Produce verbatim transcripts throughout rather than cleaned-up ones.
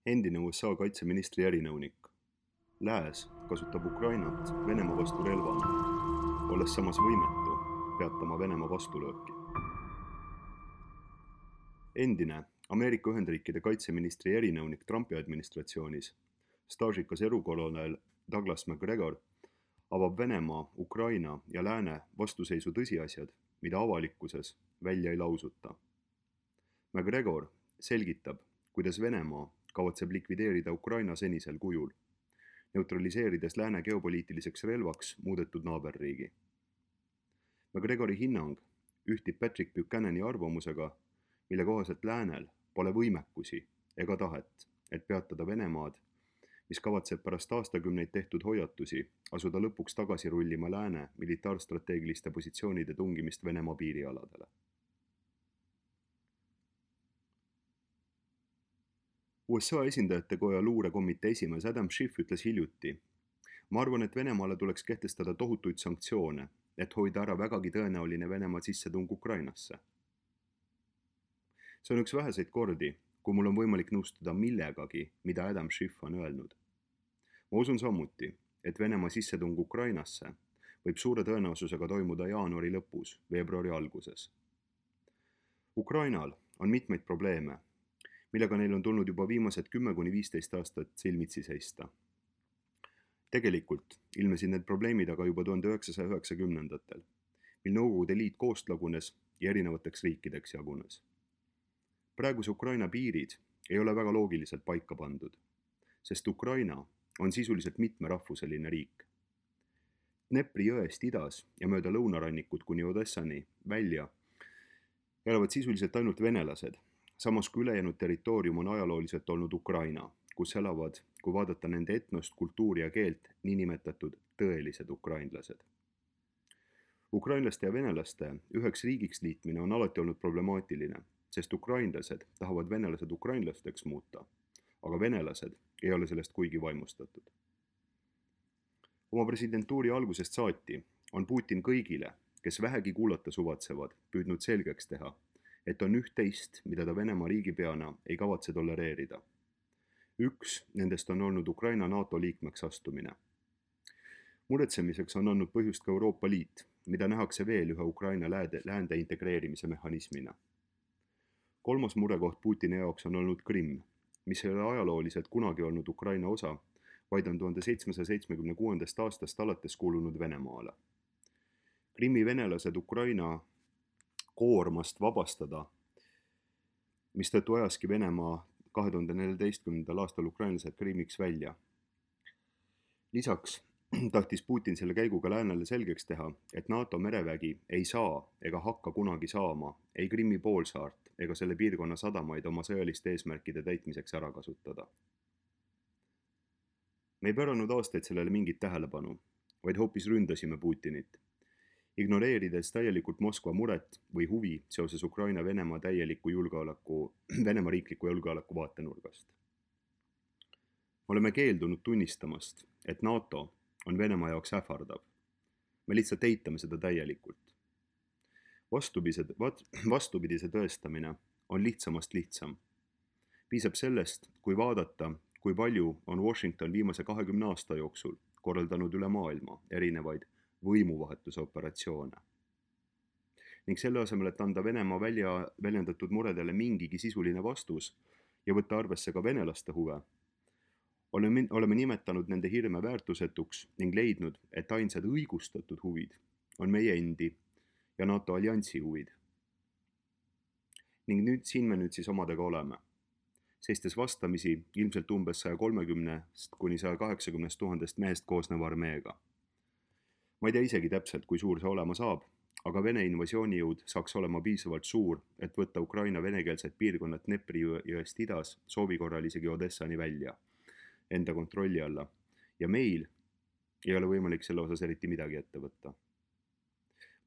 Endine U S A kaitseministri erinõunik. Lääs kasutab Ukrainat Venemaa vastu relvana, olles samas võimetu peatama Venemaa vastulööki. Endine Ameerika Ühendriikide kaitseministri erinõunik Trumpi administratsioonis, staažikas erukolonel Douglas MacGregor, avab Venemaa, Ukraina ja Lääne vastuseisu tõsiasjad, mida avalikkuses välja ei lausuta. MacGregor selgitab, kuidas Venemaa kavatseb likvideerida Ukraina senisel kujul, neutraliseerides Lääne geopoliitiliseks relvaks muudetud naaberriigi. MacGregori hinnang ühtib Patrick Buchanani arvamusega, mille kohaselt Läänel pole võimekusi ega tahet, et peatada Venemaad, mis kavatseb pärast aastakümneid tehtud hoiatusi asuda lõpuks tagasi rullima Lääne militaarstrateegiliste positsioonide tungimist Venemaa piirialadele. U S A esindajate koja luurekomitee esimees Adam Schiff ütles hiljuti: ma arvan, et Venemaale tuleks kehtestada tohutuid sanktsioone, et hoida ära vägagi tõenäoline Venemaa sissetung Ukrainasse. See on üks väheseid kordi, kui mul on võimalik nõustuda millegagi, mida Adam Schiff on öelnud. Ma usun samuti, et Venemaa sissetung Ukrainasse võib suure tõenäosusega toimuda jaanuari lõpus, veebruari alguses. Ukrainal on mitmeid probleeme, millega neil on tulnud juba viimased kümme kuni viisteist aastat silmitsi seista. Tegelikult ilmesid need probleemid aga juba tuhande üheksasaja üheksakümnendatel, mil Nõukogude Liit koost lagunes ja erinevateks riikideks jagunes. Praeguse Ukraina piirid ei ole väga loogiliselt paika pandud, sest Ukraina on sisuliselt mitmerahvuseline riik. Dnepri jõest idas ja mööda lõunarannikut kuni Odessani välja elavad sisuliselt ainult venelased, samas kui ülejäänud territoorium on ajalooliselt olnud Ukraina, kus elavad, kui vaadata nende etnost, kultuuri ja keelt, niinimetatud tõelised ukrainlased. Ukrainlaste ja venelaste üheks riigiks liitmine on alati olnud problemaatiline, sest ukrainlased tahavad venelased ukrainlasteks muuta, aga venelased ei ole sellest kuigi vaimustatud. Oma presidentuuri algusest saati on Putin kõigile, kes vähegi kuulata suvatsevad, püüdnud selgeks teha, et on üht-teist, mida ta Venemaa riigipeana ei kavatse tolereerida. Üks nendest on olnud Ukraina NATO liikmeks astumine. Muretsemiseks on andnud põhjust ka Euroopa Liit, mida nähakse veel ühe Ukraina läände integreerimise mehhanismina. Kolmas murekoht Putini jaoks on olnud Krimm, mis ei ole ajalooliselt kunagi olnud Ukraina osa, vaid on tuhande seitsmesaja seitsmekümne kuuendast aastast alates kuulunud Venemaale. Krimmi venelased Ukraina koormast vabastada, mistõttu ajaski Venemaa kahe tuhande neljateistkümnendal aastal ukrainlased Krimmiks välja. Lisaks tahtis Putin selle käiguga Läänele selgeks teha, et NATO merevägi ei saa ega hakka kunagi saama ei Krimmi poolsaart ega selle piirkonna sadamaid oma sõjaliste eesmärkide täitmiseks ära kasutada. Me ei päranud aastaid sellele mingit tähelepanu, vaid hoopis ründasime Putinit, ignoreerides täielikult Moskva muret või huvi seoses Ukraina Venemaa täieliku julgeoleku, Venemaa riikliku julgeoleku vaatenurgast. Oleme keeldunud tunnistamast, et NATO on Venemaa jaoks ähvardav. Me lihtsalt eitame seda täielikult. Vastupidise, vastupidise tõestamine on lihtsamast lihtsam. Piisab sellest, kui vaadata, kui palju on Washington viimase kahekümne aasta jooksul korraldanud üle maailma erinevaid võimuvahetuse operatsioone. Ning selle asemel, et anda Venemaa välja väljendatud muredele mingigi sisuline vastus ja võtta arvesse ka venelaste huve, oleme, oleme nimetanud nende hirme väärtusetuks ning leidnud, et ainsad õigustatud huvid on meie endi ja NATO alliansi huvid. Ning nüüd siin me nüüd siis omadega oleme, seistes vastamisi ilmselt umbes saja kolmekümnest kuni saja kaheksakümnest tuhandest mehest koosneva armeega. Ma ei tea isegi täpselt, kui suur see olema saab, aga Vene invasioonijõud saaks olema piisavalt suur, et võtta Ukraina venekeelset piirkonnat Dnepri jõest idas soovi korral isegi Odessani välja, enda kontrolli alla, ja meil ei ole võimalik selle osas eriti midagi ette võtta.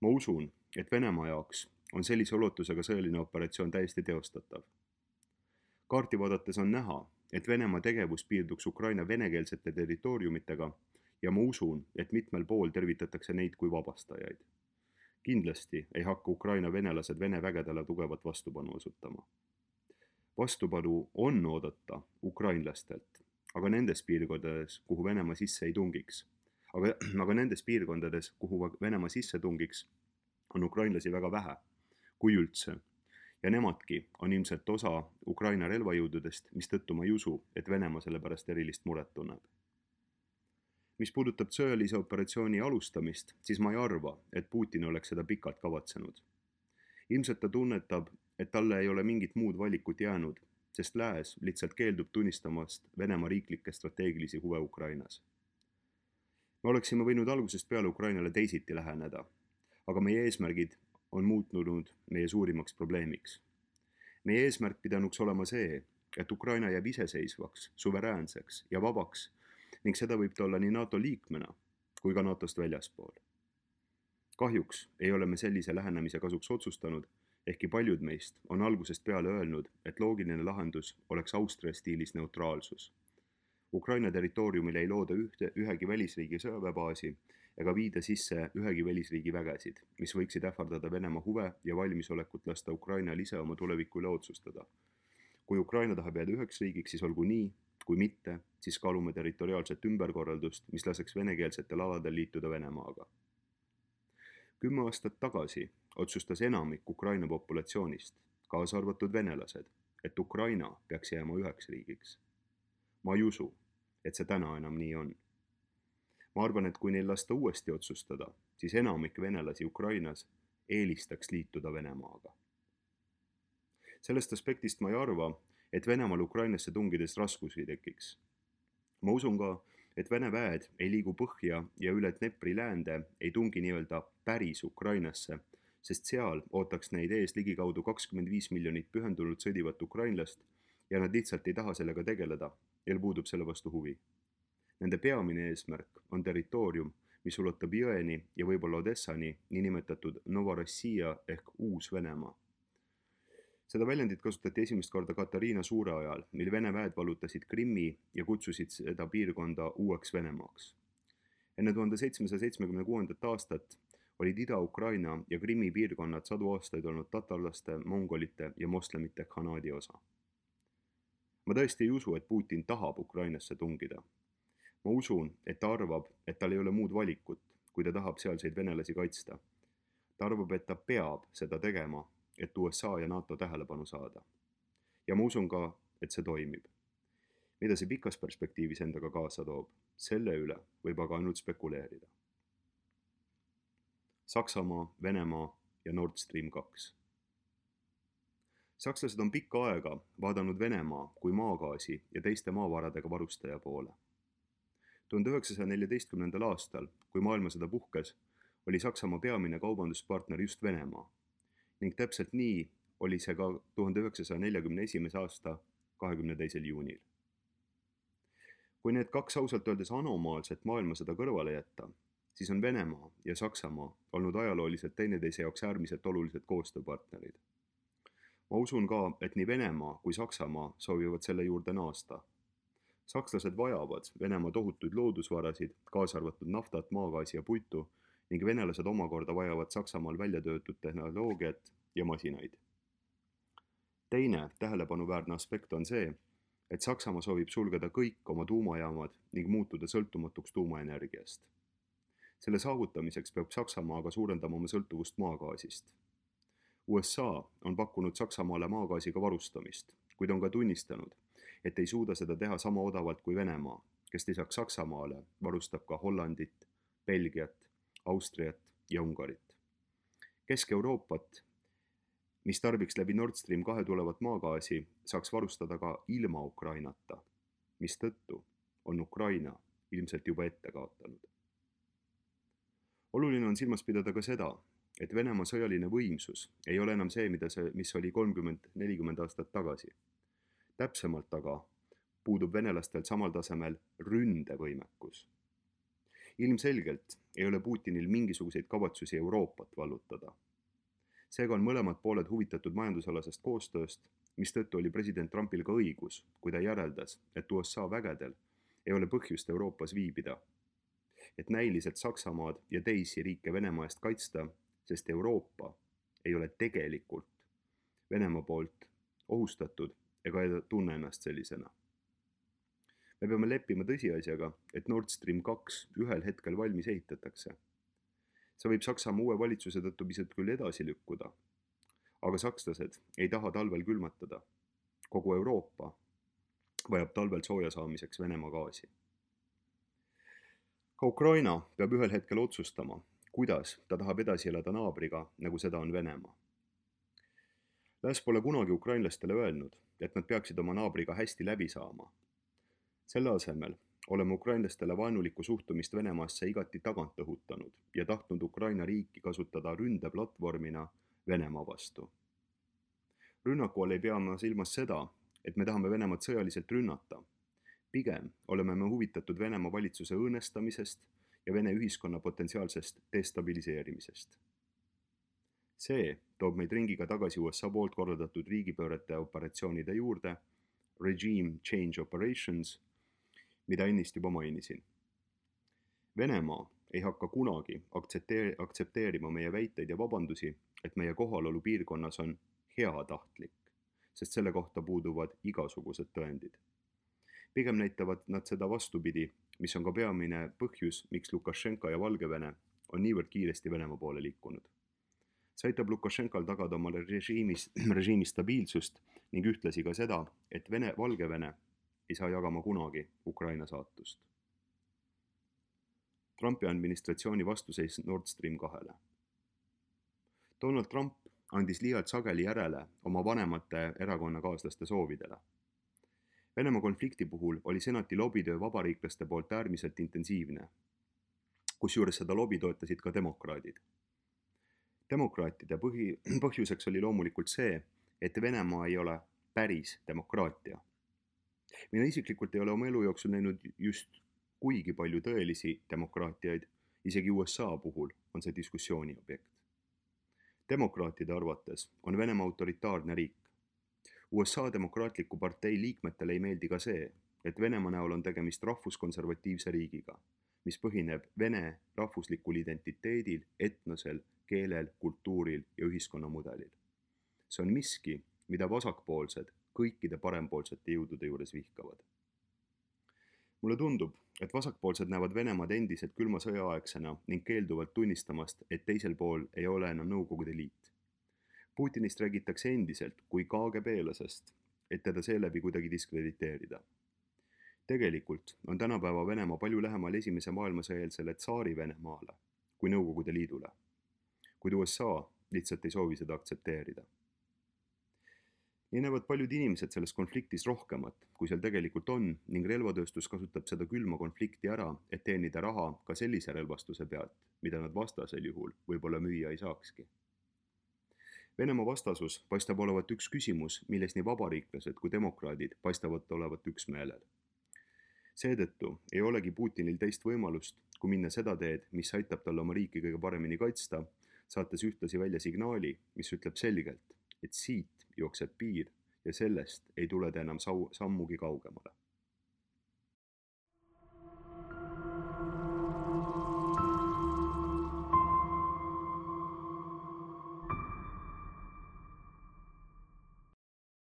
Ma usun, et Venemaa jaoks on sellise ulatusega sõjaline operatsioon täiesti teostatav. Kaarti vaadates on näha, et Venemaa tegevus piirduks Ukraina venekeelsete territooriumitega ja ma usun, et mitmel pool tervitatakse neid kui vabastajaid. Kindlasti ei hakka Ukraina venelased Vene vägedele tugevat vastupanu osutama. vastupanu on oodata ukrainlastelt, aga nendes piirkondades, kuhu Venemaa sisse ei tungiks. Aga, aga nendes piirkondades, kuhu Venemaa sisse tungiks, on ukrainlasi väga vähe, kui üldse. Ja nemadki on ilmselt osa Ukraina relvajõududest, mistõttu ma ei usu, et Venemaa selle pärast erilist muret tunneb. Mis puudutab sõjalise operatsiooni alustamist, siis ma ei arva, et Putin oleks seda pikalt kavatsenud. Ilmselt ta tunnetab, et talle ei ole mingit muud valikut jäänud, sest lääs lihtsalt keeldub tunnistamast Venemaa riiklikke strateegilisi huve Ukrainas. Me oleksime võinud algusest peale Ukrainale teisiti läheneda, aga meie eesmärgid on muutunud meie suurimaks probleemiks. Meie eesmärk pidanuks olema see, et Ukraina jääb iseseisvaks, suveräänseks ja vabaks ning seda võib ta olla nii NATO liikmena kui ka NATOst väljaspool. Kahjuks ei ole me sellise lähenemise kasuks otsustanud, ehkki paljud meist on algusest peale öelnud, et loogiline lahendus oleks Austria stiilis neutraalsus. Ukraina territooriumil ei looda ühte, ühegi välisriigi sõjaväebaasi ega viida sisse ühegi välisriigi vägesid, mis võiksid ähvardada Venemaa huve ja valmisolekut lasta Ukrainal ise oma tuleviku üle otsustada. Kui Ukraina tahab jääda üheks riigiks, siis olgu nii, kui mitte, siis kaalume territoriaalset ümberkorraldust, mis laseks venekeelsetel aladel liituda Venemaaga. Kümme aastat tagasi otsustas enamik Ukraina populatsioonist, kaasa arvatud venelased, et Ukraina peaks jääma üheks riigiks. Ma ei usu, et see täna enam nii on. Ma arvan, et kui neil lasta uuesti otsustada, siis enamik venelasi Ukrainas eelistaks liituda Venemaaga. Sellest aspektist ma ei arva, et Venemaal Ukrainasse tungides raskusi tekiks. Ma usun ka, et Vene väed ei liigu põhja ja üle Dnepri läände ei tungi nii-öelda päris Ukrainasse, sest seal ootaks neid ees ligikaudu kakskümmend viis miljonit pühendunult sõdivat ukrainlast ja nad lihtsalt ei taha sellega tegeleda, neil puudub selle vastu huvi. Nende peamine eesmärk on territoorium, mis ulatub Jõeni ja võib-olla Odessani, niinimetatud Novorossija ehk Uus-Venemaa. Seda väljendit kasutati esimest korda Katariina Suure ajal, mil Vene väed vallutasid Krimmi ja kutsusid seda piirkonda uueks Venemaaks. Enne tuhande seitsmesaja seitsmekümne kuuendat aastat olid Ida-Ukraina ja Krimmi piirkonnad sadu aastaid olnud tatarlaste, mongolite ja moslemite khanaadi osa. Ma tõesti ei usu, et Putin tahab Ukrainasse tungida. Ma usun, et ta arvab, et tal ei ole muud valikut, kui ta tahab sealseid venelasi kaitsta. Ta arvab, et ta peab seda tegema, et U S A ja NATO tähelepanu saada. Ja ma usun ka, et see toimib. Mida see pikas perspektiivis endaga kaasa toob, selle üle võib aga ainult spekuleerida. Saksamaa, Venemaa ja Nord Stream kaks. Sakslased on pikka aega vaadanud Venemaa kui maagaasi ja teiste maavaradega varustaja poole. tuhande üheksasaja neljateistkümnendal aastal, kui maailmasõda puhkes, oli Saksamaa peamine kaubanduspartner just Venemaa ning täpselt nii oli see ka tuhande üheksasaja neljakümne esimese aasta kahekümne teisel juunil. Kui need kaks ausalt öeldes anomaalset maailmasõda kõrvale jätta, siis on Venemaa ja Saksamaa olnud ajalooliselt teineteise jaoks äärmiselt olulised koostööpartnerid. Ma usun ka, et nii Venemaa kui Saksamaa soovivad selle juurde naasta. Sakslased vajavad Venemaa tohutuid loodusvarasid, kaasa arvatud naftat, maagaasi ja puitu, ning venelased omakorda vajavad Saksamaal välja töötud tehnoloogiat ja masinaid. Teine tähelepanuväärne aspekt on see, et Saksamaa soovib sulgeda kõik oma tuumajaamad ning muutuda sõltumatuks tuumaenergiast. Selle saavutamiseks peab Saksamaa aga suurendama oma sõltuvust maagaasist. U S A on pakkunud Saksamaale maagaasiga varustamist, kuid on ka tunnistanud, et ei suuda seda teha sama odavalt kui Venemaa, kes lisaks Saksamaale varustab ka Hollandit, Belgiat, Austriat ja Ungarit. Kesk-Euroopat, mis tarbiks läbi Nord Stream kahe tulevat maagaasi, saaks varustada ka ilma Ukrainata, mis tõttu on Ukraina ilmselt juba ette kaotanud. Oluline on silmas pidada ka seda, et Venemaa sõjaline võimsus ei ole enam see, mida see, mis oli kolmkümmend nelikümmend aastat tagasi. Täpsemalt aga puudub venelastel samal tasemel ründevõimekus. Ilmselgelt ei ole Putinil mingisuguseid kavatsusi Euroopat vallutada. Seega on mõlemad pooled huvitatud majandusalasest koostööst, mis tõttu oli president Trumpil ka õigus, kui ta järeldas, et U S A vägedel ei ole põhjust Euroopas viibida, et näiliselt Saksamaad ja teisi riike Venemaa eest kaitsta, sest Euroopa ei ole tegelikult Venemaa poolt ohustatud ega ei tunne ennast sellisena. Me peame leppima tõsiasjaga, et Nord Stream kaks ühel hetkel valmis ehitatakse. See võib Saksamaa uue valitsuse tõttu pisut küll edasi lükkuda, aga sakslased ei taha talvel külmatada. Kogu Euroopa vajab talvel sooja saamiseks Venemaa gaasi. Ka Ukraina peab ühel hetkel otsustama, kuidas ta tahab edasi elada naabriga, nagu seda on Venemaa. Lääs pole kunagi ukrainlastele öelnud, et nad peaksid oma naabriga hästi läbi saama. Selle asemel oleme ukrainlastele vaenulikku suhtumist Venemaasse igati tagant õhutanud ja tahtnud Ukraina riiki kasutada ründeplatvormina Venemaa vastu. Rünnaku all ei pea ma silmas seda, et me tahame Venemaad sõjaliselt rünnata. Pigem oleme me huvitatud Venemaa valitsuse õõnestamisest ja Vene ühiskonna potentsiaalsest destabiliseerimisest. See toob meid ringiga tagasi U S A poolt korraldatud riigipöörete operatsioonide juurde, Regime Change Operations, mida ennist juba mainisin. Venemaa ei hakka kunagi aktsepteer- aktsepteerima meie väiteid ja vabandusi, et meie kohalolu piirkonnas on heatahtlik, sest selle kohta puuduvad igasugused tõendid. Pigem näitavad nad seda vastupidi, mis on ka peamine põhjus, miks Lukašenka ja Valgevene on niivõrd kiiresti Venemaa poole liikunud. See aitab Lukašenkal tagada oma režiimis, režiimi stabiilsust ning ühtlasi ka seda, et Vene, Valgevene ei saa jagama kunagi Ukraina saatust. Trumpi administratsiooni vastuseis Nord Stream kahele. Donald Trump andis liialt sageli järele oma vanemate erakonnakaaslaste soovidele. Venemaa konflikti puhul oli senati lobitöö vabariiklaste poolt äärmiselt intensiivne, kusjuures seda lobi toetasid ka demokraadid. Demokraatide põhi, põhjuseks oli loomulikult see, et Venemaa ei ole päris demokraatia. Mina isiklikult ei ole oma elu jooksul näinud just kuigi palju tõelisi demokraatiaid, isegi U S A puhul on see diskussiooni objekt. Demokraatide arvates on Venemaa autoritaarne riik. U S A demokraatliku partei liikmetele ei meeldi ka see, et Venemaa näol on tegemist rahvuskonservatiivse riigiga, mis põhineb Vene rahvuslikul identiteedil, etnosel, keelel, kultuuril ja ühiskonnamudelil. See on miski, mida vasakpoolsed kõikide parempoolsete jõudude juures vihkavad. Mulle tundub, et vasakpoolsed näevad Venemaad endiselt külma sõjaaegsena ning keelduvad tunnistamast, et teisel pool ei ole enam Nõukogude Liit. Putinist räägitakse endiselt kui K G B-lasest, et teda seeläbi kuidagi diskrediteerida. Tegelikult on tänapäeva Venemaa palju lähemal esimese maailmasõjaeelsele tsaari Venemaale kui Nõukogude Liidule, kuid U S A lihtsalt ei soovi seda aktsepteerida. Nii näevad paljud inimesed selles konfliktis rohkemat, kui seal tegelikult on, ning relvatööstus kasutab seda külma konflikti ära, et teenida raha ka sellise relvastuse pealt, mida nad vastasel juhul võib-olla müüa ei saakski. Venemaa vastasus paistab olevat üks küsimus, milles nii vabariiklased kui demokraadid paistavad olevat üksmeelel. Seetõttu ei olegi Putinil teist võimalust, kui minna seda teed, mis aitab talle oma riiki kõige paremini kaitsta, saates ühtlasi välja signaali, mis ütleb selgelt, et siit jookseb piir ja sellest ei tule ta enam sammugi kaugemale.